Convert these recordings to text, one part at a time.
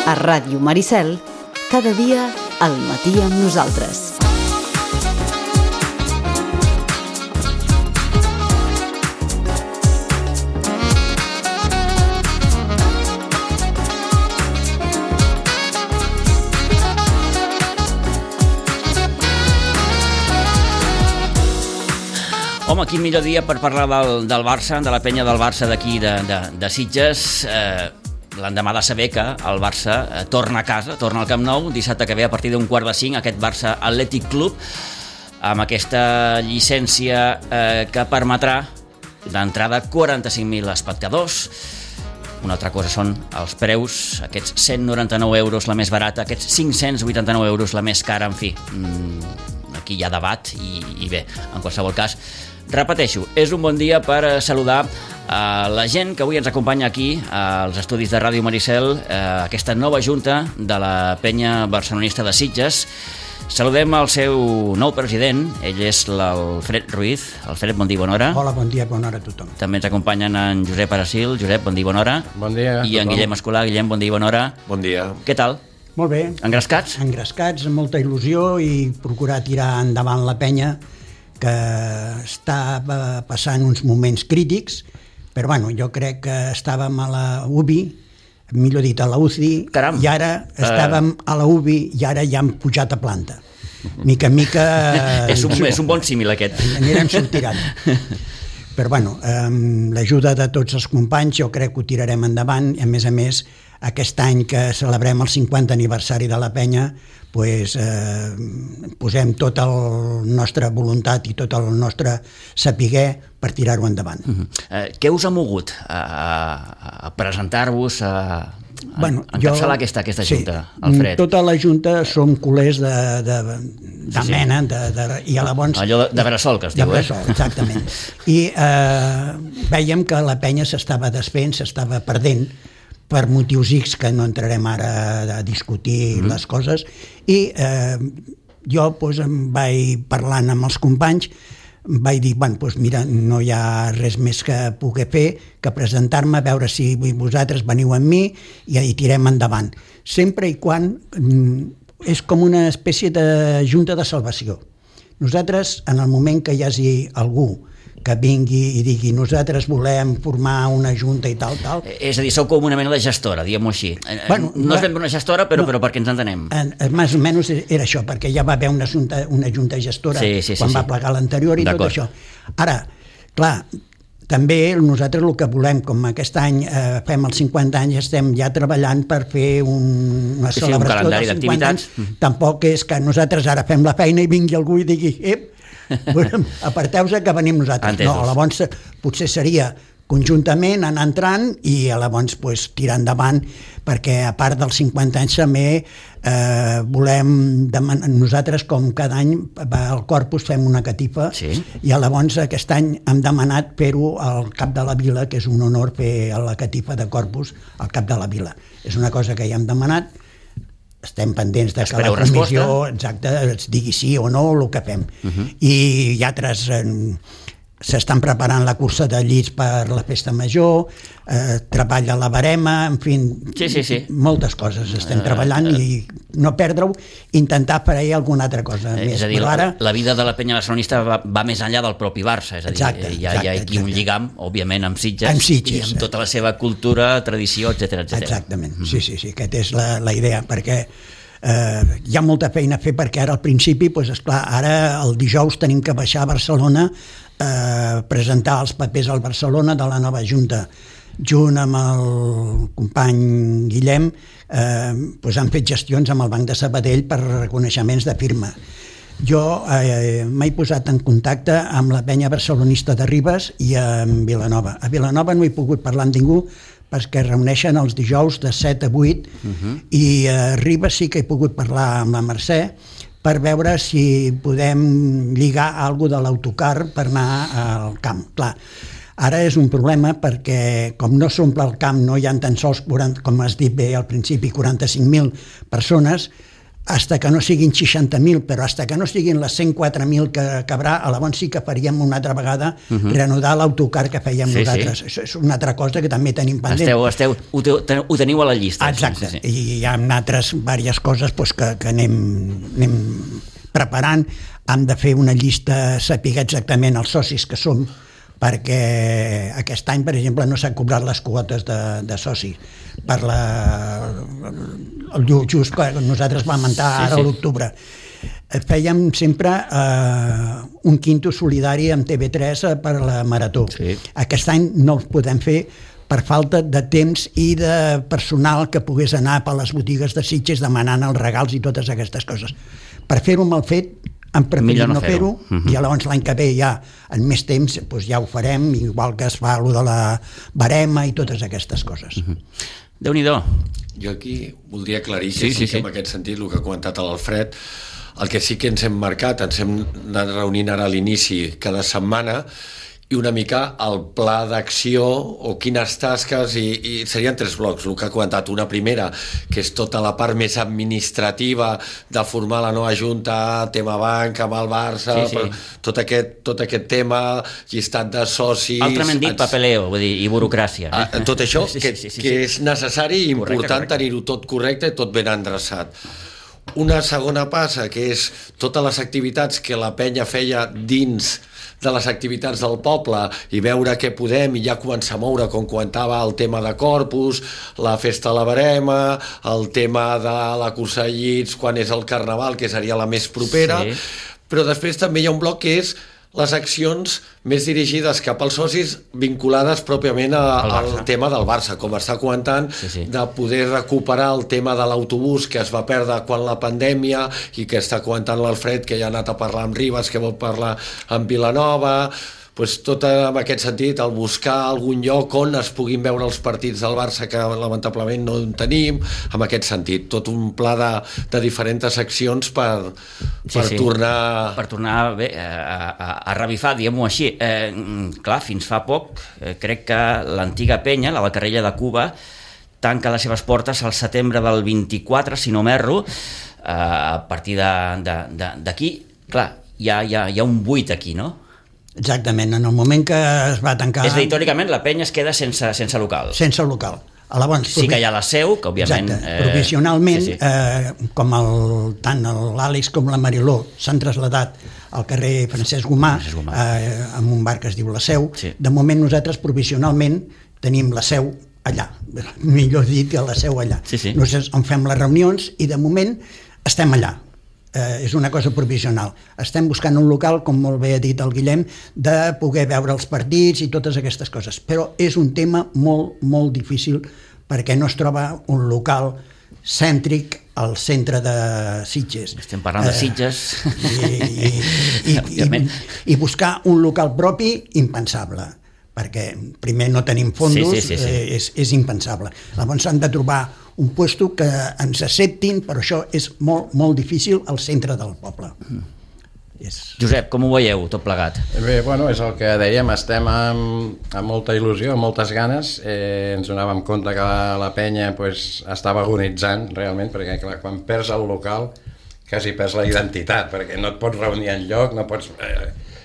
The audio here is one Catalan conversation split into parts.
A Ràdio Maricel, cada dia al matí amb nosaltres. Home, quin millor dia per parlar del Barça, de la penya del Barça d'aquí, de Sitges. L'endemà de saber que el Barça torna a casa, torna al Camp Nou, dissabte que ve a partir d'un 4:45, aquest Barça Athletic Club, amb aquesta llicència que permetrà d'entrada 45.000 espectadors. Una altra cosa són els preus, aquests 199 euros la més barata, aquests 589 euros la més cara, en fi. Aquí hi ha debat i bé, en qualsevol cas, repeteixo, és un bon dia per saludar la gent que avui ens acompanya aquí als estudis de Ràdio Maricel, aquesta nova junta de la penya barcelonista de Sitges. Saludem el seu nou president, ell és l'Alfred Ruiz. Alfred, bon dia, bona hora. Hola, bon dia, bona hora a tothom. També ens acompanyen en Josep Aracil. Josep, bon dia, bona hora. Bon dia a I en Guillem Escolà. Guillem, bon dia, bona hora. Bon dia. Què tal? Molt bé. Engrescats? Engrescats, amb molta il·lusió i procurar tirar endavant la penya, que estava passant uns moments crítics, però bueno, jo crec que estàvem a la UBI, millor dit a la UCI, Caram. I ara estàvem a la UBI i ara ja hem pujat a planta. Mica en mica... És un bon símil aquest. Anirem sortirant. Però bueno, amb l'ajuda de tots els companys jo crec que ho tirarem endavant i a més aquest any que celebrem el 50 aniversari de la penya, pues, posem tota la nostra voluntat i tot el nostre saber per tirar-ho endavant. Què us ha mogut a presentar-vos, a encapçalar aquesta junta, Alfred? Tota la junta som culers de mena, i llavors... Allò de bressol, que es diu, de bressol, exactament. I vèiem que la penya s'estava desfent, s'estava perdent, per motius X que no entrarem ara a discutir les coses, i jo em vaig parlant amb els companys, vaig dir, mira, no hi ha res més que pugui fer que presentar-me, a veure si vosaltres veniu amb mi i tirem endavant. Sempre i quan és com una espècie de junta de salvació. Nosaltres, en el moment que hi hagi algú que vingui i digui nosaltres volem formar una junta i tal. És a dir, sou com una mena de gestora, diguem-ho així. No és ben una gestora, però perquè ens entenem. Més o menys era això, perquè ja va haver una junta gestora quan va plegar l'anterior i tot això. Ara, clar, també nosaltres el que volem, com aquest any fem els 50 anys, estem ja treballant per fer una celebració dels 50 anys. Tampoc és que nosaltres ara fem la feina i vingui algú i digui aparteu-se que venim nosaltres. No, llavors potser seria conjuntament anar entrant i llavors tirar endavant, perquè a part dels 50 anys també volem demanar, nosaltres com cada any al Corpus fem una catifa i llavors aquest any hem demanat fer-ho al cap de la vila, que és un honor fer la catifa de Corpus al cap de la vila. És una cosa que ja hem demanat, estem pendents de que la comissió ens digui sí o no el que fem. I altres s'estan preparant la cursa de llits per la festa major, treballa la barema, en fi, moltes coses estem treballant i no perdre-ho, intentar fer alguna altra cosa més. És a dir, la vida de la penya barcelonista va més enllà del propi Barça, és a dir, hi ha aquí un lligam, òbviament, amb Sitges i amb tota la seva cultura, tradició, etc. Exactament, sí, aquesta és la idea, perquè hi ha molta feina a fer, perquè ara al principi, esclar, ara el dijous tenim que baixar a Barcelona a presentar els papers al Barcelona de la nova junta. Junt amb el company Guillem han fet gestions amb el Banc de Sabadell per reconeixements de firma. Jo m'he posat en contacte amb la penya barcelonista de Ribes i amb Vilanova. A Vilanova no he pogut parlar amb ningú perquè reuneixen els dijous de 7 a 8 i a Ribes sí que he pogut parlar amb la Mercè per veure si podem lligar alguna cosa de l'autocar per anar al camp. Clar, ara és un problema perquè com no s'omple el camp, no hi ha tan sols, com has dit bé al principi, 45.000 persones, hasta que no siguin 60.000, però hasta que no siguin les 104.000 que acabarà, llavors sí que faríem una altra vegada reanudar l'autocar que fèiem nosaltres. Això és una altra cosa que també tenim pendent. Ho teniu a la llista. Exacte, i hi ha altres diverses coses que anem preparant. Hem de fer una llista, saber exactament els socis que som, perquè aquest any, per exemple, no s'han cobrat les quotes de socis per el just que nosaltres vam entrar ara a l'octubre. Fèiem sempre un quinto solidari amb TV3 per la Marató. Aquest any no ho podem fer per falta de temps i de personal que pogués anar per les botigues de Sitges demanant els regals i totes aquestes coses. Per fer-ho mal fet, hem preferit no fer-ho, i llavors l'any que ve ja en més temps ja ho farem, igual que es fa allò de la barema i totes aquestes coses. Déu-n'hi-do. Jo aquí voldria aclarir que sí, en aquest sentit el que ha comentat l'Alfred, el que sí que ens hem marcat, ens hem anat reunint ara a l'inici cada setmana, i una mica el pla d'acció o quines tasques, i serien 3 blocs, el que ha comentat. Una primera, que és tota la part més administrativa de formar la nova junta, tema banca amb el Barça, tot aquest tema, llistat de socis... Altrament dit, papeleo, vull dir, i burocràcia. Tot això, que és necessari i important tenir-ho tot correcte i tot ben endreçat. Una segona passa, que és totes les activitats que la penya feia dins de les activitats del poble i veure què podem, i ja començar a moure, com comentava, el tema de Corpus, la festa a la Barema, el tema de la cursa de llits quan és el Carnaval, que seria la més propera, però després també hi ha un bloc que és les accions més dirigides cap als socis vinculades pròpiament al tema del Barça, com està comentant, de poder recuperar el tema de l'autobús que es va perdre quan la pandèmia, i que està comentant l'Alfred, que ja ha anat a parlar amb Ribes, que vol parlar amb Vilanova. Tot en aquest sentit, el buscar algun lloc on es puguin veure els partits del Barça, que lamentablement no en tenim, en aquest sentit, tot un pla de diferents accions per tornar... Per tornar a revifar, diguem-ho així. Clar, fins fa poc, crec que l'antiga penya, la Carrella de Cuba, tanca les seves portes al setembre del 24, si no m'erro, a partir d'aquí. Clar, hi ha un buit aquí, no? Exactament, en el moment que es va tancar... És a dir, teòricament la penya es queda sense local. Sense local. Sí que hi ha la seu, que òbviament... Exacte, provisionalment, com tant l'Àlex com la Mariló s'han traslladat al carrer Francesc Gomà, amb un bar que es diu La Seu, de moment nosaltres provisionalment tenim la seu allà, millor dit que la seu allà. Nosaltres on fem les reunions i de moment estem allà. És una cosa provisional. Estem buscant un local, com molt bé ha dit el Guillem, de poder veure els partits i totes aquestes coses, però és un tema molt, molt difícil perquè no es troba un local cèntric al centre de Sitges. Estem parlant de Sitges. I buscar un local propi, impensable, perquè primer no tenim fondos, és impensable. Llavors han de trobar un puesto que ens acceptin, però això és molt, molt difícil al centre del poble. Josep, com ho veieu, tot plegat? Bé, bueno, és el que dèiem, estem amb molta il·lusió, amb moltes ganes. Ens donàvem compte que la penya estava agonitzant, realment, perquè clar, quan perds el local quasi perds la identitat, perquè no et pots reunir enlloc, no pots...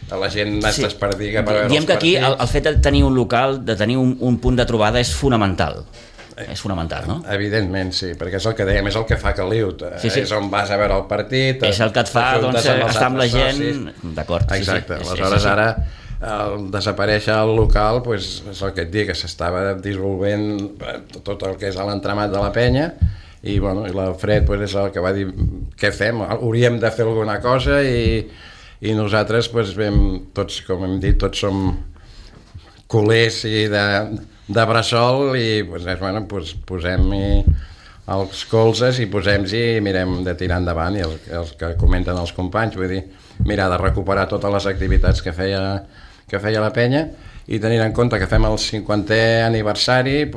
la gent es desperdiga per veure els partits. Diem que aquí el fet de tenir un local, de tenir un punt de trobada és fonamental. És fonamental, no? Evidentment, sí, perquè és el que dèiem, és el que fa Caliut. És on vas a veure el partit... És el que et fa estar amb la gent... D'acord. Exacte, aleshores ara al desaparèixer el local és el que et dic, que s'estava dissolvent tot el que és l'entramat de la penya, i l'Alfred és el que va dir què fem, hauríem de fer alguna cosa, i nosaltres tots, com hem dit, tots som culers de bressol, i posem els colzes i posem-hi i mirem de tirar endavant, i els que comenten els companys, vull dir, mirar de recuperar totes les activitats que feia la penya, i tenint en compte que fem el 50è aniversari,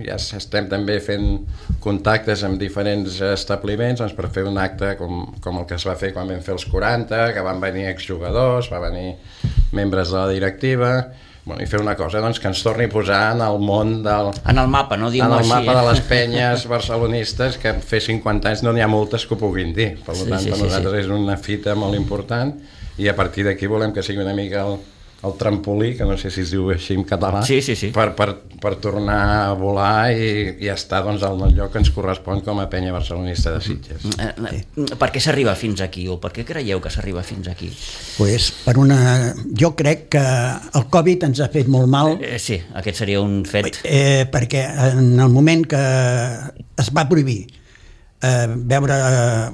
ja estem també fent contactes amb diferents establiments per fer un acte com el que es va fer quan vam fer els 40, que van venir exjugadors, van venir membres de la directiva, i fer una cosa, doncs, que ens torni a posar en el món en el mapa, no diguem-ho així. En el mapa de les penyes barcelonistes, que fer 50 anys no n'hi ha moltes que ho puguin dir. Per tant, per nosaltres és una fita molt important i a partir d'aquí volem que sigui una mica el trampolí, que no sé si es diu així en català, per tornar a volar i estar doncs, al lloc que ens correspon com a penya barcelonista de Sitges. Per què s'arriba fins aquí o per què creieu que s'arriba fins aquí? Pues jo crec que el Covid ens ha fet molt mal. Sí, aquest seria un fet. Perquè en el moment que es va prohibir veure,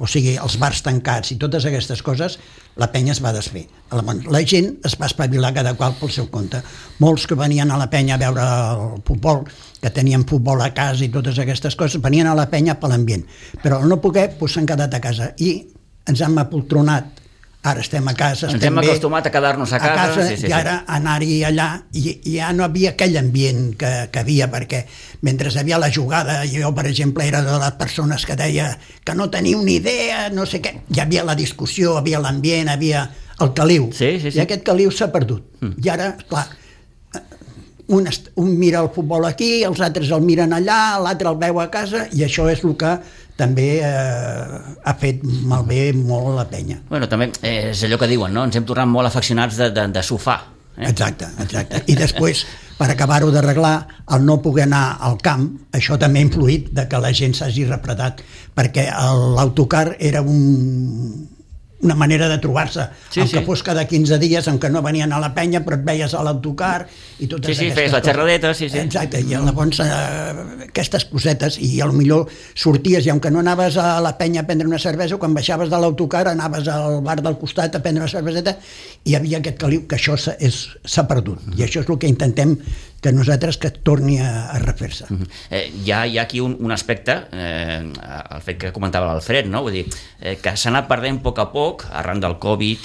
o sigui, els bars tancats i totes aquestes coses, la penya es va desfer. La gent es va espavilar cada qual pel seu compte. Molts que venien a la penya a veure el futbol, que tenien futbol a casa i totes aquestes coses, venien a la penya per l'ambient. Però al no poder, s'han quedat a casa i ens hem apoltronat. Ara estem a casa. Ens hem acostumat a quedar-nos a casa. I ara anar-hi allà, i ja no havia aquell ambient que havia, perquè mentre hi havia la jugada, jo, per exemple, era de les persones que deia que no teniu ni idea, no sé què, hi havia la discussió, havia l'ambient, havia el caliu, i aquest caliu s'ha perdut. I ara, clar, un mira el futbol aquí, els altres el miren allà, l'altre el veu a casa, i això és el que també ha fet malbé molt la penya. Bueno, també és allò que diuen, no? Ens hem tornat molt afeccionats de sofà. Exacte. I després, per acabar-ho d'arreglar, el no poder anar al camp, això també ha influït de que la gent s'hagi refredat, perquè l'autocar era una manera de trobar-se, que fos cada 15 dies, en què no venien a la penya, però et veies a l'autocar i totes aquestes coses. Feies la xerradeta, Exacte, i llavors aquestes cosetes, i potser sorties, i aunque no anaves a la penya a prendre una cervesa, quan baixaves de l'autocar anaves al bar del costat a prendre una cerveseta, i hi havia aquest caliu, que això s'ha perdut, i això és el que intentem que nosaltres que torni a refer-se. Hi ha aquí un aspecte, el fet que comentava l'Alfred, no? Vull dir, que s'ha anat perdent a poc, arran del Covid,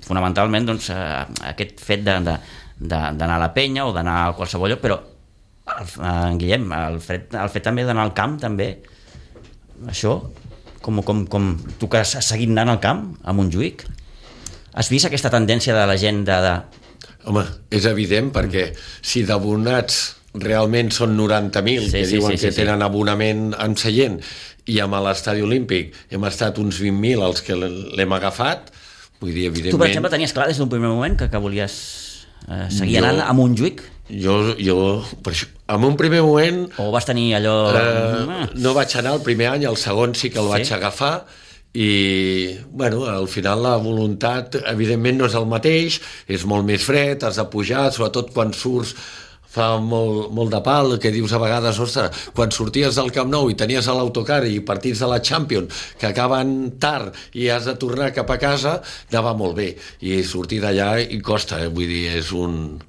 fonamentalment aquest fet d'anar a la penya o d'anar a qualsevol lloc, però Guillem, el fet també d'anar al camp, també, això, com tu que has seguit anant al camp, a Montjuïc, has vist aquesta tendència de la gent Home, és evident, perquè si d'abonats realment són 90.000 que diuen que tenen abonament en seient, i amb l'estadi olímpic hem estat uns 20.000 els que l'hem agafat, vull dir, evidentment... Tu, per exemple, tenies clar des d'un primer moment que volies seguir anant a Montjuïc? Jo, per això, en un primer moment... O vas tenir allò... No vaig anar el primer any, el segon sí que el vaig agafar, i bueno, al final la voluntat evidentment no és el mateix, és molt més fred, has de pujar, sobretot quan surts fa molt de pal, que dius a vegades, ostres, quan sorties del Camp Nou i tenies a l'autocar i partits de la Champions que acaben tard i has de tornar cap a casa, anava molt bé, i sortir d'allà i costa, vull dir, és un...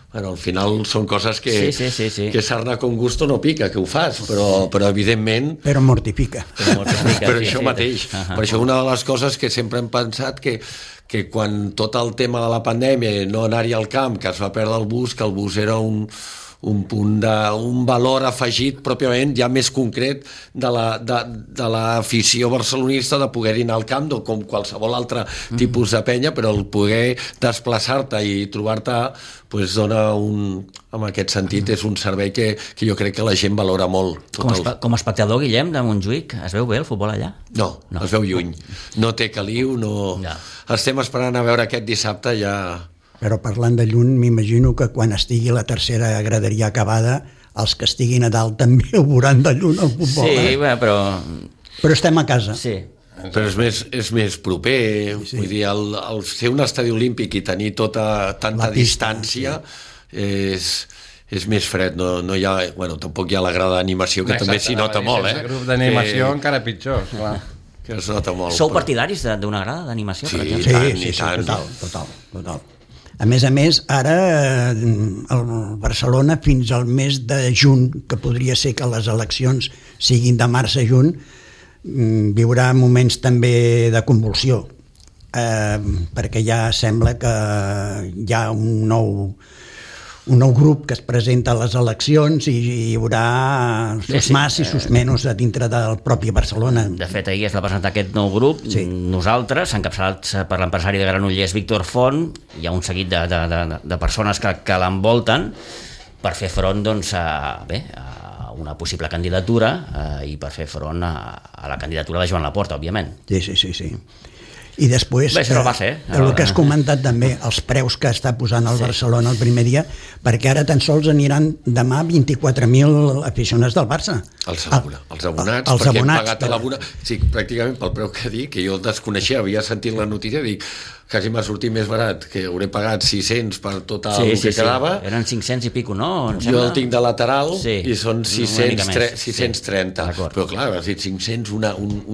Bueno, al final són coses que sarna con gusto no pica, que ho fas, però evidentment... Però mortifica. Però això mateix. Per això una de les coses que sempre hem pensat que quan tot el tema de la pandèmia, no anar-hi al camp, que es va perdre el bus, que el bus era un valor afegit pròpiament ja més concret de l'afició barcelonista de poder anar al camp, com qualsevol altre tipus de penya, però el poder desplaçar-te i trobar-te dona en aquest sentit és un servei que jo crec que la gent valora molt. Com a espectador, Guillem, de Montjuïc, es veu bé el futbol allà? No, es veu lluny, no té caliu, estem esperant a veure aquest dissabte ja... Però parlant de lluny, m'imagino que quan estigui la tercera graderia acabada, els que estiguin a dalt també ho veuran de lluny al futbol. Sí, però... Però estem a casa. Sí. Però és més proper, vull dir, el ser un estadi olímpic i tenir tanta distància és més fred, no hi ha, bueno, tampoc hi ha la grada d'animació, que també s'hi nota molt, El grup d'animació encara pitjor, clar. Que es nota molt. Sou partidaris d'una grada d'animació, per exemple? Sí, total. A més, ara el Barcelona fins al mes de juny, que podria ser que les eleccions siguin de març a juny, viurà moments també de convulsió, perquè ja sembla que hi ha un nou grup que es presenta a les eleccions i hi haurà sus más i sus menos dintre del propi Barcelona. De fet, ahir es va presentar aquest nou grup, nosaltres, encapçalats per l'empresari de Granollers Víctor Font, hi ha un seguit de persones que l'envolten per fer front doncs, a una possible candidatura i per fer front a la candidatura de Joan Laporta, òbviament. Sí. I després, el que has comentat també, els preus que està posant el Barcelona el primer dia, perquè ara tan sols aniran demà 24.000 aficionats del Barça. Els abonats, perquè hem pagat l'abonat. Sí, pràcticament pel preu que dic, que jo desconeixia, havia sentit la notícia, dic, quasi m'ha sortit més barat, que hauré pagat 600 per tot el que quedava. Eren 500 i pico, no? Jo el tinc de lateral i són 630. Però clar, has dit 500 un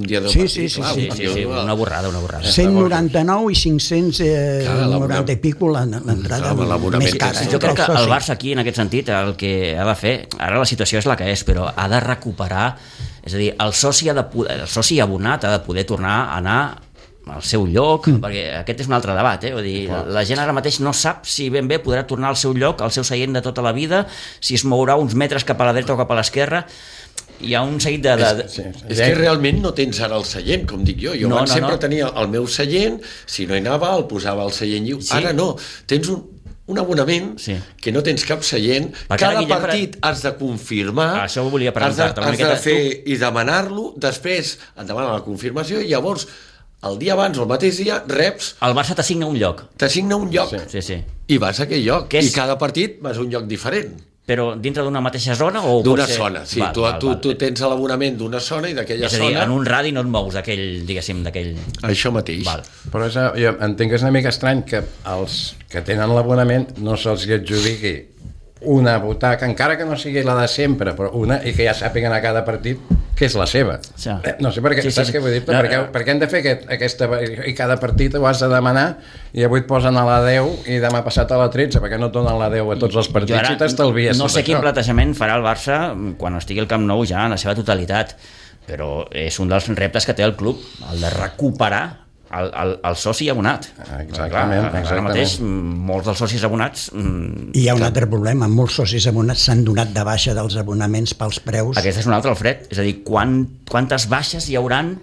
dia de partit. Sí, una borrada. 199 i 590 i pico l'entrada més cara. Jo crec que el Barça aquí, en aquest sentit, el que ha de fer, ara la situació és la que és, però ha de recuperar, és a dir, el soci abonat ha de poder tornar a anar al seu lloc, perquè aquest és un altre debat, Vull dir, la gent ara mateix no sap si ben bé podrà tornar al seu lloc, al seu seient de tota la vida, si es mourà uns metres cap a la dreta o cap a l'esquerra. Hi ha un seguit És que realment no tens ara el seient, com dic jo. Jo abans sempre tenia el meu seient, si no hi anava el posava al seient lliure. Ara no, tens un abonament que no tens cap seient, cada partit has de confirmar, has de fer i demanar-lo, després et demana la confirmació i llavors el dia abans o el mateix dia reps... El Barça t'assigna un lloc. I vas a aquell lloc. I cada partit vas a un lloc diferent. Però dintre d'una mateixa zona? D'una zona, sí. Tu tens l'abonament d'una zona i d'aquella zona... És a dir, en un radi no et mous d'aquell... Això mateix. Però jo entenc que és una mica estrany que els que tenen l'abonament no se'ls adjudiqui una butaca, encara que no sigui la de sempre, però una, i que ja sàpiguen a cada partit que és la seva. No sé per què, saps què vull dir? Per què hem de fer aquesta... I cada partit ho has de demanar i avui et posen a la 10 i demà passat a la 13, perquè no et donen la 10 a tots els partits i t'estalvies. No sé quin plantejament farà el Barça quan estigui al Camp Nou ja en la seva totalitat, però és un dels reptes que té el club, el de recuperar el soci abonat. Exactament. Ara mateix molts dels socis abonats... I hi ha un altre problema, molts socis abonats s'han donat de baixa dels abonaments pels preus. Aquest és un altre, Alfred, és a dir, quantes baixes hi hauran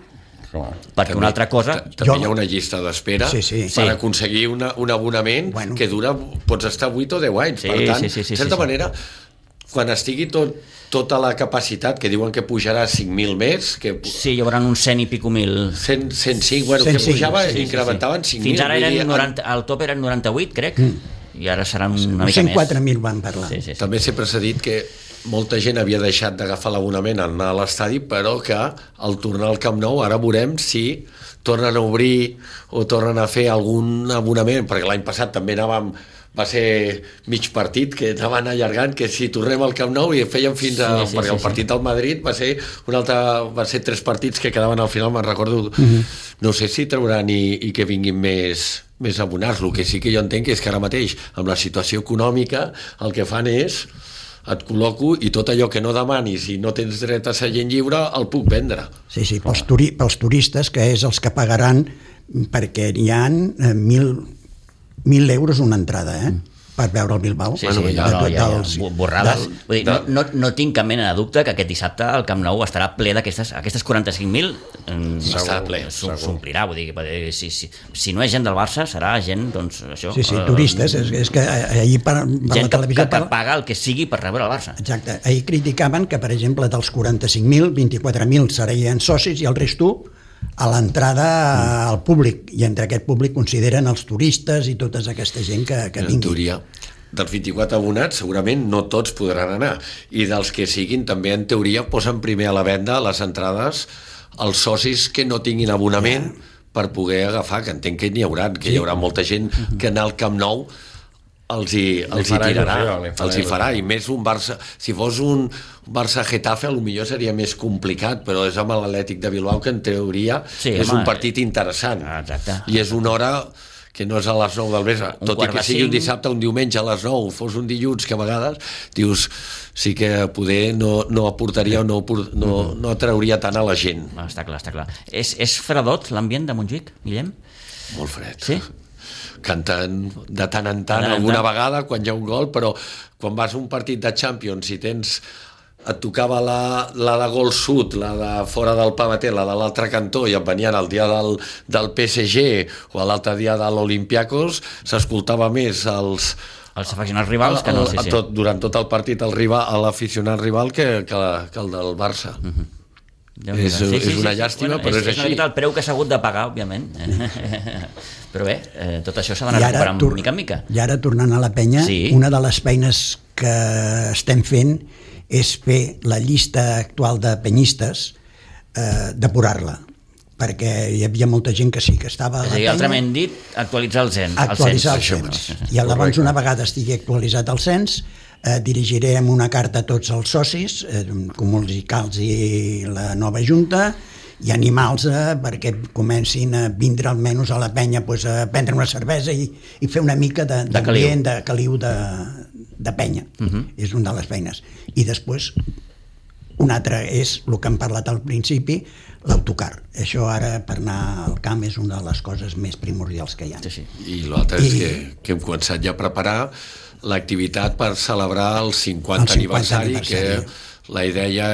perquè una altra cosa... També hi ha una llista d'espera per aconseguir un abonament que dura, pots estar 8 o 10 anys, per tant, de certa manera, quan estigui tota la capacitat, que diuen que pujarà 5.000 més... Sí, hi haurà uns 100 i pico mil... 105, bueno, que pujava, incrementaven 5.000. Fins ara el top eren 98, crec, i ara seran una mica més. 104.000 van parlar. També sempre s'ha dit que molta gent havia deixat d'agafar l'abonament al anar a l'estadi, però que al tornar al Camp Nou ara veurem si tornen a obrir o tornen a fer algun abonament, perquè l'any passat també va ser mig partit que anaven allargant, que si tornem al Camp Nou i fèiem fins a... perquè el partit del Madrid va ser 3 partits que quedaven al final, me'n recordo. No sé si trauran i que vinguin més abonats. El que sí que jo entenc és que ara mateix, amb la situació econòmica, el que fan és et col·loco i tot allò que no demanis i no tens dret a seient lliure el puc vendre. Sí, pels turistes, que és els que pagaran, perquè hi ha 1.000 euros una entrada, per veure el Bilbao. Borrada. No tinc cap mena de dubte que aquest dissabte el Camp Nou estarà ple d'aquestes 45.000, s'omplirà, vull dir, si no és gent del Barça serà gent, doncs això... Sí, turistes, és que ahir per la televisió... que paga el que sigui per rebre el Barça. Exacte, ahir criticaven que, per exemple, dels 45.000, 24.000 serien socis i el resto a l'entrada al públic, i entre aquest públic consideren els turistes i tota aquesta gent que vingui. En teoria, dels 24 abonats segurament no tots podran anar, i dels que siguin també en teoria posen primer a la venda les entrades als socis que no tinguin abonament per poder agafar, que entenc que n'hi haurà, que hi haurà molta gent que anar al Camp Nou els hi tirarà, els hi farà, i més un Barça, si fos un Barça-Getafe potser seria més complicat, però és amb l'Atlètic de Bilbao, que en teoria és un partit interessant, i és una hora que no és a les 9 del vespre, tot i que sigui un dissabte, un diumenge a les 9, fos un dilluns, que a vegades dius, sí que poder no aportaria o no atrauria tant a la gent. Està clar. És fredot l'ambient de Montjuïc, Guillem? Molt fred. Sí? canten de tant en tant, alguna vegada, quan hi ha un gol, però quan vas a un partit de Champions i et tocava la de gol sud, la de fora del pavater, la de l'altre cantó, i et venien el dia del PSG o l'altre dia de l'Olympiacos, s'escoltava més els aficionats rivals que no, sí. Durant tot el partit l'aficionat rival que el del Barça. És una llàstima, però és així. És el preu que s'ha hagut de pagar, òbviament. Però bé, tot això s'ha d'anar recuperant mica en mica. I ara, tornant a la penya, una de les feines que estem fent és fer la llista actual de penyistes, depurar-la, perquè hi havia molta gent que sí que estava a la penya. Altrament dit, actualitzar el cens. Actualitzar el cens. I llavors, una vegada estigui actualitzat el cens, dirigirem una carta a tots els socis, comuns i calts i la nova junta, i animals perquè comencin a vindre almenys a la penya a prendre una cervesa i fer una mica d'ambient, de caliu de penya. És una de les feines. I després, un altre és el que hem parlat al principi, l'autocar. Això ara, per anar al camp, és una de les coses més primordials que hi ha. I l'altre és que hem començat ja a preparar l'activitat per celebrar el 50 aniversari, que la idea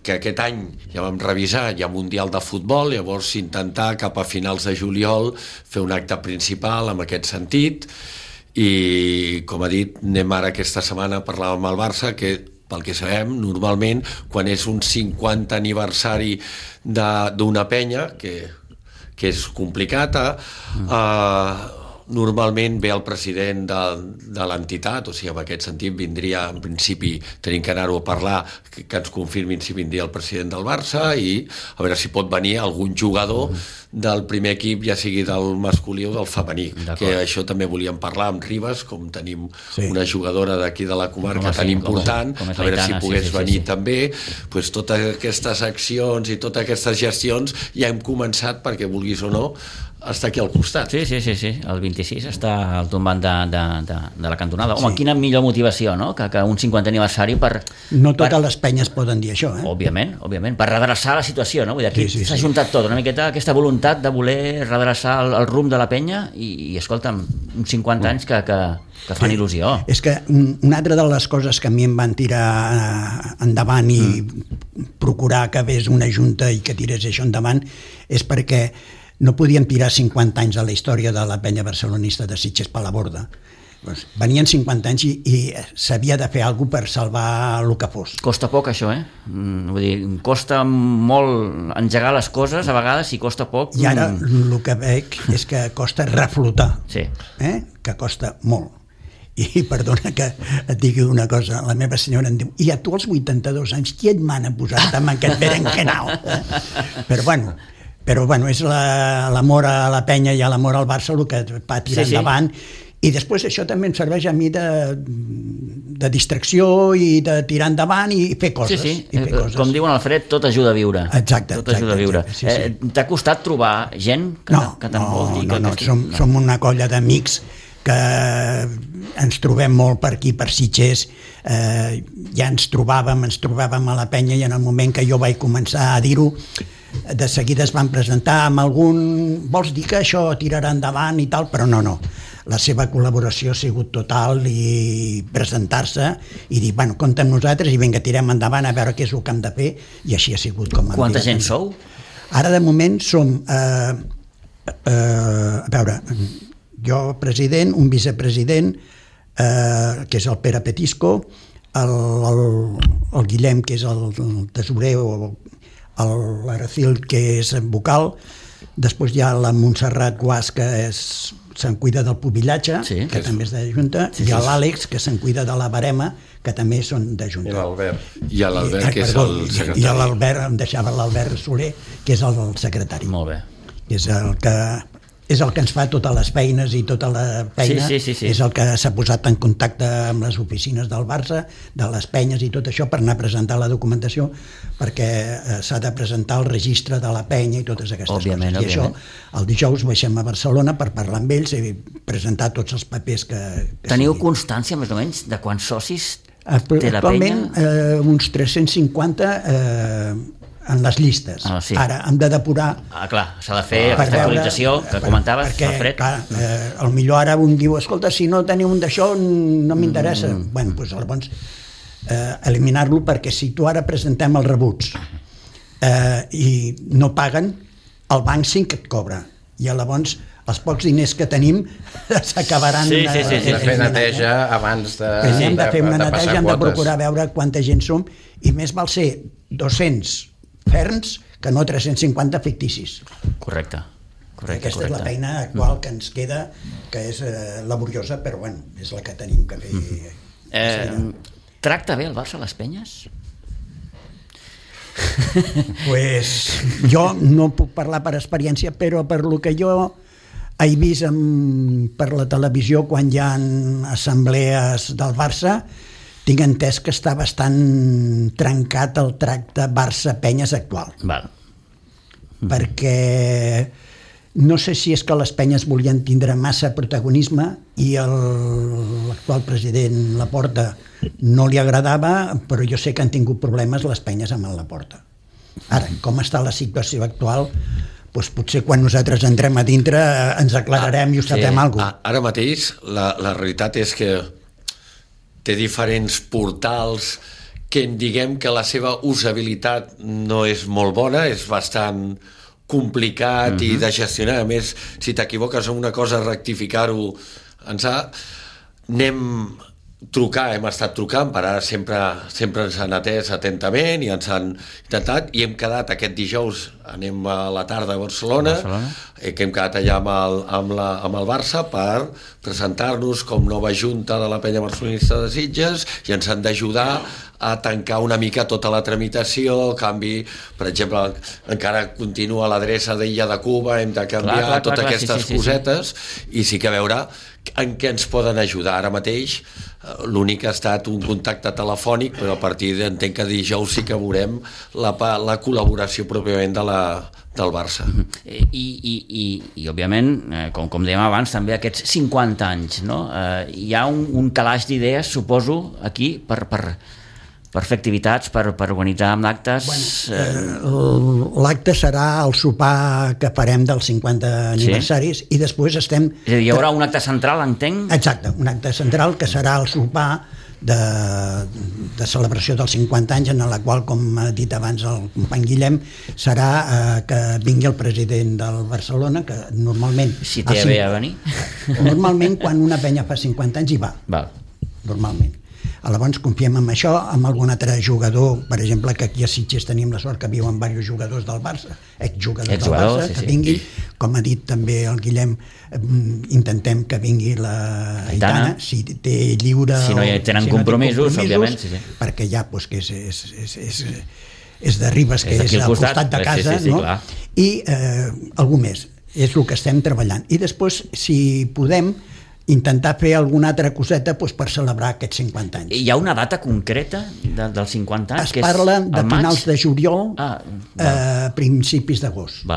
que aquest any ja vam revisar, hi ha Mundial de Futbol, llavors intentar cap a finals de juliol fer un acte principal en aquest sentit, i com ha dit, anem ara aquesta setmana a parlar amb el Barça, que pel que sabem, normalment, quan és un 50 aniversari d'una penya, que és complicat, normalment ve el president de l'entitat, o sigui, en aquest sentit vindria, en principi, tenim que anar-ho a parlar, que ens confirmin si vindria el president del Barça, i a veure si pot venir algun jugador del primer equip, ja sigui del masculí o del femení, que això també volíem parlar amb Ribes, com tenim una jugadora d'aquí de la comarca tan important, a veure si pogués venir també. Totes aquestes accions i totes aquestes gestions ja hem començat, perquè vulguis o no, està aquí al costat. Sí, el 26 està al tombant de la cantonada. Home, quina millor motivació, no?, que un 50 aniversari per... No totes les penyes poden dir això, Òbviament, per redreçar la situació, no? Vull dir, aquí s'ha juntat tot, una miqueta aquesta voluntat de voler redreçar el rumb de la penya i escolta'm, uns 50 anys que fan il·lusió. És que una altra de les coses que a mi em van tirar endavant i procurar que hagués una junta i que tirés això endavant és perquè no podíem tirar 50 anys a la història de la penya barcelonista de Sitges per la borda. Venien 50 anys i s'havia de fer alguna cosa per salvar el que fos. Costa poc, això, Vull dir, costa molt engegar les coses, a vegades, i costa poc... I ara el que veig és que costa reflotar, que costa molt. I perdona que et digui una cosa, la meva senyora em diu, i a tu als 82 anys, qui et mana posar-te amb aquest berenjenal? Però bueno, és l'amor a la penya i l'amor al Barça el que va tirar endavant, i després això també em serveix a mi de distracció i de tirar endavant i fer coses. Com diuen Alfred, tot ajuda a viure. Exacte. T'ha costat trobar gent que te'n vol dir? No, som una colla d'amics que ens trobem molt per aquí, per Sitges, ja ens trobàvem a la penya, i en el moment que jo vaig començar a dir-ho, de seguida es van presentar amb algun... Vols dir que això tirarà endavant i tal? Però no. La seva col·laboració ha sigut total, i presentar-se i dir, compta amb nosaltres i vinga, tirem endavant a veure què és el que hem de fer, i així ha sigut com... Quanta gent sou? Ara, de moment, som... a veure, jo president, un vicepresident, que és el Pere Petisco, el Guillem, que és el tesorer, o l'Aracil, que és vocal, després hi ha la Montserrat Guas, que se'n cuida del pubillatge, que també és de Junta, i l'Àlex, que se'n cuida de la barema, que també són de Junta. I l'Albert, que és el secretari. I l'Albert, em deixava l'Albert Soler, que és el secretari. Molt bé. És el que ens fa totes les feines i tota la feina, és el que s'ha posat en contacte amb les oficines del Barça, de les penyes i tot això, per anar a presentar la documentació, perquè s'ha de presentar el registre de la penya i totes aquestes coses. I això, el dijous baixem a Barcelona per parlar amb ells i presentar tots els papers que Teniu constància, més o menys, de quants socis té la penya? Actualment, uns 350 en les llistes. Sí. Ara hem de depurar... Clar, s'ha de fer aquesta actualització que comentaves, Alfred. Perquè, clar, potser ara un diu, escolta, si no teniu un d'això no m'interessa. Bueno, doncs llavors eliminar-lo, perquè si tu ara presentem els rebuts i no paguen, el banc sí que et cobra. I llavors els pocs diners que tenim s'acabaran... Sí. De fer neteja abans de passar quotes. Hem de fer una neteja, hem de procurar veure quanta gent som, i més val ser 200 ferms que no 350 ficticis. Correcte. Aquesta és la feina actual que ens queda, que és laboriosa, però bueno, és la que tenim que fer. Tracta bé el Barça a les penyes? Pues jo no puc parlar per experiència, però per lo que jo he vist per la televisió quan hi ha assemblees del Barça, tinc entès que està bastant trencat el tracte Barça-Penyes actual. Val. Perquè no sé si és que les penyes volien tindre massa protagonisme i l'actual president Laporta no li agradava, però jo sé que han tingut problemes les penyes amb el Laporta. Ara, com està la situació actual, doncs potser quan nosaltres entrem a dintre ens aclararem i ho sapem alguna cosa. Ara mateix la realitat és que té diferents portals que diguem que la seva usabilitat no és molt bona, és bastant complicat i de gestionar. A més, si t'equivoques en una cosa, rectificar-ho hem estat trucant, per ara sempre ens han atès atentament i ens han intentat, i hem quedat aquest dijous, anem a la tarda a Barcelona, que hem quedat allà amb el Barça per presentar-nos com nova junta de la penya barcelonista de Sitges, i ens han d'ajudar a tancar una mica tota la tramitació, canvi, per exemple, encara continua l'adreça d'Illa de Cuba, hem de canviar totes aquestes cosetes, i sí que veure en què ens poden ajudar. Ara mateix l'únic ha estat un contacte telefònic, però a partir d'entenc que dijous sí que veurem la col·laboració pròpiament del Barça. I òbviament, com dèiem abans, també aquests 50 anys, no? Hi ha un calaix d'idees, suposo, aquí per fer activitats, per organitzar amb actes. L'acte serà el sopar que farem dels 50 aniversaris, i després estem... És a dir, hi haurà un acte central, entenc? Exacte, un acte central que serà el sopar de celebració dels 50 anys, en la qual, com ha dit abans el company Guillem, serà que vingui el president del Barcelona, que normalment... Si té bé a venir. Normalment, quan una penya fa 50 anys, hi va. Normalment. Llavors confiem en això, amb algun altre jugador, per exemple, que aquí a Sitges tenim la sort que viuen diversos jugadors del Barça, exjugadors del Barça, que vingui, com ha dit també el Guillem, intentem que vingui la Aitana, si té lliure... Si no hi tenen compromisos, òbviament. Perquè ja, que és de Ribes, que és al costat de casa, no? I algú més, és el que estem treballant. I després, si podem, intentar fer alguna altra coseta per celebrar aquests 50 anys. Hi ha una data concreta dels 50 anys? Es parla de finals de juliol a principis d'agost,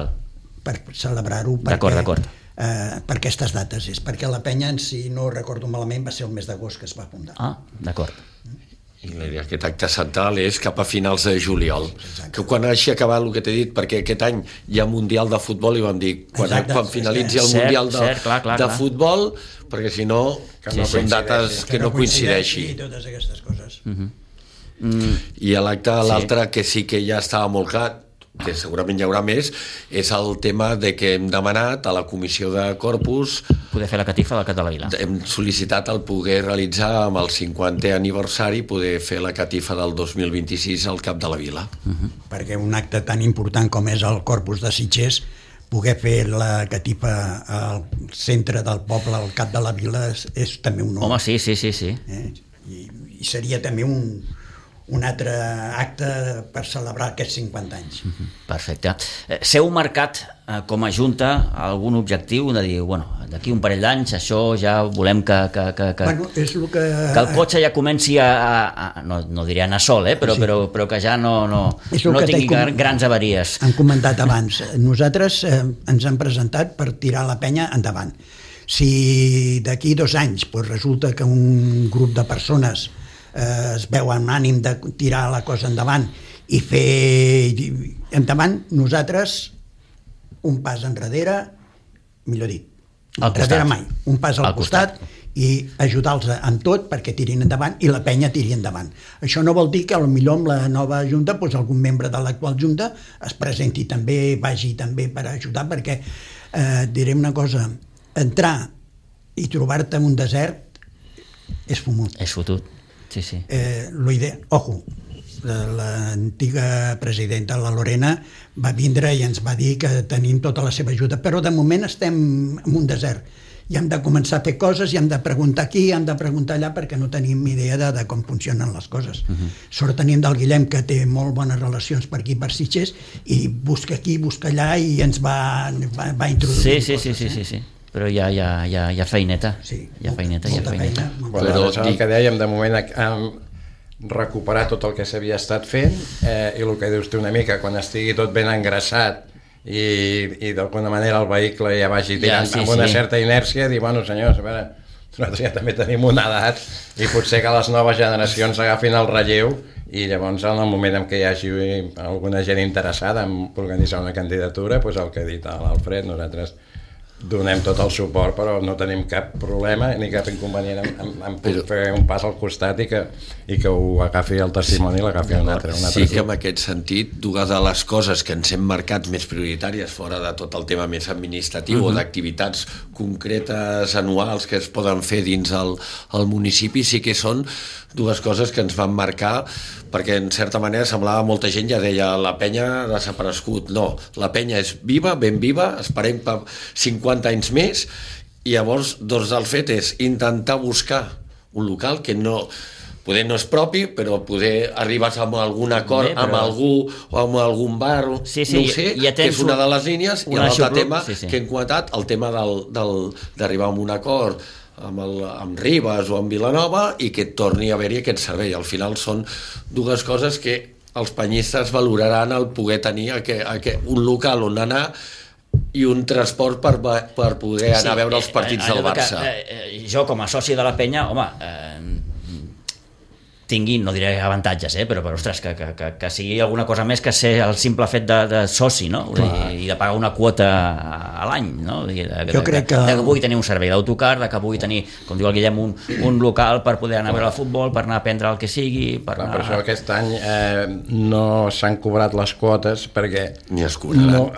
per celebrar-ho. D'acord. Per aquestes dates és perquè la penya, si no recordo malament, va ser el mes d'agost que es va fundar. D'acord. I aquest acte central és cap a finals de juliol. Que quan hagi acabat el que t'he dit, perquè aquest any hi ha Mundial de Futbol, i vam dir, quan finalitzi el Mundial de Futbol, perquè si no són dates que no coincideixin. I totes aquestes coses. I l'acte, l'altre, que sí que ja estava molt clar, que segurament hi haurà més, és el tema de que hem demanat a la Comissió de Corpus poder fer la catifa del Cap de la Vila. Hem sol·licitat el poder realitzar amb el 50è aniversari, poder fer la catifa del 2026 al Cap de la Vila. Perquè un acte tan important com és el Corpus de Sitges, poder fer la catifa al centre del poble, al Cap de la Vila, és també un honor. Home, sí. I seria també un altre acte per celebrar aquests 50 anys. Perfecte. S'heu marcat com a Junta algun objectiu de dir, d'aquí un parell d'anys això ja volem que és el que el cotxe ja comenci no diré a anar sol, però que ja no tingui grans avaries. Han comentat abans, nosaltres ens hem presentat per tirar la penya endavant. Si d'aquí 2 anys resulta que un grup de persones es veu amb ànim de tirar la cosa endavant i fer endavant, nosaltres un pas enrere, millor dit, enrere mai, un pas al costat i ajudar-los en tot perquè tirin endavant i la penya tiri endavant. Això no vol dir que potser amb la nova junta algun membre de l'actual junta es presenti també, vagi també per ajudar, perquè diré una cosa, entrar i trobar-te en un desert és fumut. És fotut, sí. Ojo, l'antiga presidenta, la Lorena, va vindre i ens va dir que tenim tota la seva ajuda, però de moment estem en un desert i hem de començar a fer coses i hem de preguntar aquí, hem de preguntar allà, perquè no tenim idea de com funcionen les coses. Sort tenim del Guillem, que té molt bones relacions per aquí, per Sitges, i busca aquí, busca allà, i ens va introduir coses. Sí. Però hi ha feineta. Sí, hi ha feineta. Però el que dèiem, de moment recuperar tot el que s'havia estat fent, i el que dius tu una mica, quan estigui tot ben engraçat i d'alguna manera el vehicle ja vagi tirant amb una certa inèrcia, dir, bueno, senyors, a veure, nosaltres ja també tenim una edat i potser que les noves generacions agafin el relleu, i llavors en el moment en què hi hagi alguna gent interessada en organitzar una candidatura, doncs el que ha dit l'Alfred, nosaltres donem tot el suport, però no tenim cap problema ni cap inconvenient en fer un pas al costat i que ho agafi el testimoni i l'agafi un altre. Sí que en aquest sentit, dues de les coses que ens hem marcat més prioritàries, fora de tot el tema més administratiu o d'activitats concretes anuals que es poden fer dins el municipi, sí que són dues coses que ens van marcar, perquè en certa manera semblava, molta gent ja deia la penya ha desaparegut. No, la penya és viva, ben viva, esperem per 50 anys més, i llavors doncs el fet és intentar buscar un local que poder no és propi, però poder arribar a algun acord amb algú o amb algun bar, no ho sé, que és una de les línies, i l'altre tema que hem comentat, el tema d'arribar a un acord amb Ribes o amb Vilanova i que torni a haver-hi aquest servei. Al final són dues coses que els penyistes valoraran el poder tenir un local on anar i un transport per poder anar a veure els partits del Barça. Jo, com a soci de la penya, home, tingui, no diré avantatges, però ostres, que sigui alguna cosa més que ser el simple fet de soci, no? I de pagar una quota a l'any, no? Jo crec que vull tenir un servei d'autocar, que vull tenir, com diu el Guillem, un local per poder anar a veure el futbol, per anar a prendre el que sigui... Per això aquest any no s'han cobrat les quotes perquè ni es cobraran.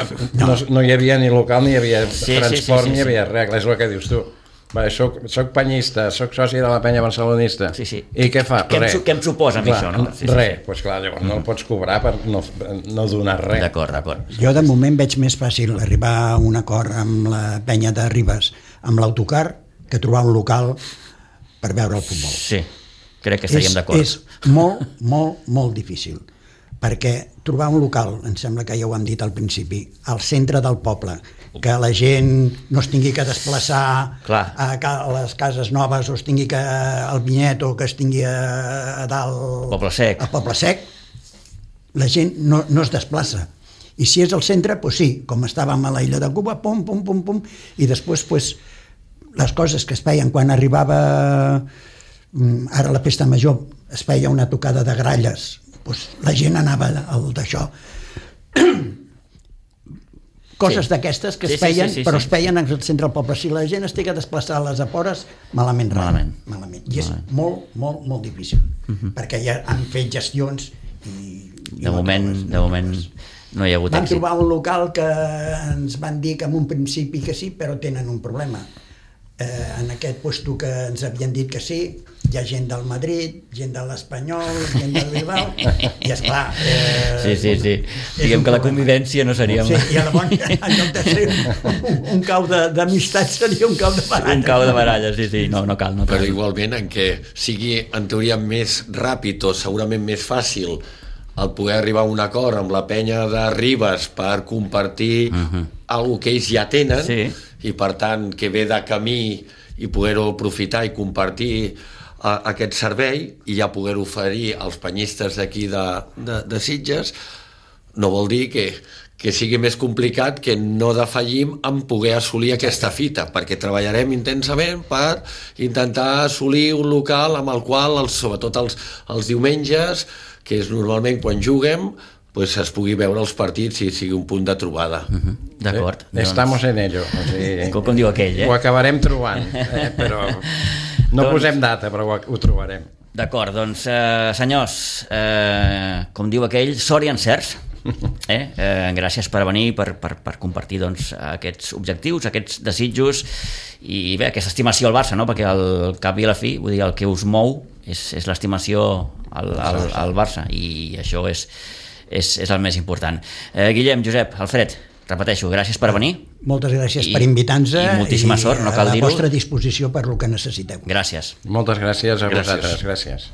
No hi havia ni local, ni hi havia transport, ni hi havia res, és el que dius tu. Soc penyista, soc soci de la penya barcelonista. I què fa? Què em suposa amb això? Res, doncs clar, llavors no el pots cobrar per no donar res. D'acord. Jo de moment veig més fàcil arribar a un acord amb la penya de Ribes, amb l'autocar, que trobar un local per veure el futbol. Sí, crec que estaríem d'acord. És molt difícil, perquè trobar un local, em sembla que ja ho hem dit al principi, al centre del poble, que la gent no es tingui que desplaçar a les cases noves o es tingui que al Vinyet o que es tingui a dalt al Poble Sec, la gent no es desplaça. I si és al centre, doncs sí, com estàvem a la illa de Cuba, pum, i després les coses que es feien quan arribava ara la festa major, es feia una tocada de gralles, doncs la gent anava al d'això. Coses d'aquestes que es feien, però es feien al centre del poble. Si la gent es té que desplaçar a les afores, malament. I és molt difícil, perquè ja han fet gestions i de moment no hi ha hagut èxit. Van trobar un local que ens van dir que en un principi que sí, però tenen un problema. En aquest lloc que ens havien dit que sí, hi ha gent del Madrid, gent de l'Espanyol, gent del Bilbao, i esclar... Sí. Diguem que la convivència no seria... Sí, i llavors, en lloc de ser un cau d'amistat, seria un cau de baralles. Un cau de baralles, sí, no cal. Però igualment, en què sigui, en teoria, més ràpid o segurament més fàcil el poder arribar a un acord amb la penya de Ribes per compartir alguna que ells ja tenen, i per tant que ve de camí i poder-ho aprofitar i compartir aquest servei i ja poder oferir als penyistes d'aquí de Sitges, no vol dir que sigui més complicat, que no defallim en poder assolir aquesta fita, perquè treballarem intensament per intentar assolir un local amb el qual, sobretot els diumenges, que és normalment quan juguem, pues, es pugui veure els partits i sigui un punt de trobada. D'acord. Estamos en ello. O sigui, com diu aquell, Ho acabarem trobant, però no posem data, però ho trobarem. D'acord, doncs, senyors, com diu aquell, sort i encerts. Gràcies per venir, per compartir aquests objectius, aquests desitjos i bé, aquesta estimació al Barça, no? Perquè al cap i a la fi, vull dir, el que us mou és l'estimació al Barça i això és el més important. Guillem, Josep, Alfred, repeteixo, gràcies per venir. Moltes gràcies per invitar-nos i moltíssima sort, no cal dir-ho. A la vostra disposició per el que necessiteu. Gràcies. Moltes gràcies a vosaltres, gràcies.